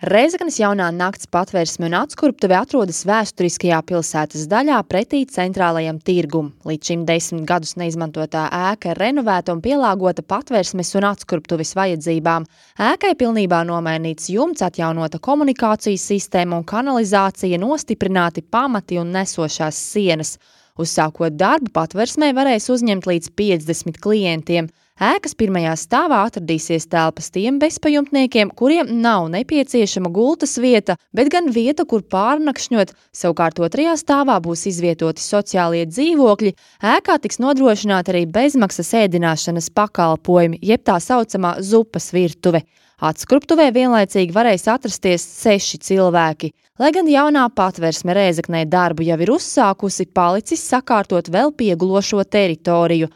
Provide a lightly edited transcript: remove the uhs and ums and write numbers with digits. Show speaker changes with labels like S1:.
S1: Rēzeknes jaunā nakts patvērsme un atskurptuve atrodas vēsturiskajā pilsētas daļā pretī centrālajam tirgum. Līdz šim 10 gadus neizmantotā ēka ir renovēta un pielāgota patvērsmes un atskurptuves vajadzībām. Ēkai pilnībā nomainīts jumts, atjaunota komunikācijas sistēma un kanalizācija, nostiprināti pamati un nesošās sienas. Uzsākot darbu, patvērsmē varēs uzņemt līdz 50 klientiem. Ēkas pirmajā stāvā atradīsies telpas tiem bezpajumtniekiem, kuriem nav nepieciešama gultas vieta, bet gan vieta, kur pārnakšņot. Savukārt otrajā stāvā būs izvietoti sociālie dzīvokļi. Ēkā tiks nodrošināta arī bezmaksas ēdināšanas pakalpojumi, jeb tā saucamā zupas virtuve. Atskurptuvē vienlaicīgi varēs atrasties 6 cilvēki. Lai gan jaunā patvērsme Rēzeknē darbu jau ir uzsākusi, palicis sakārtot vēl piegulošo teritoriju.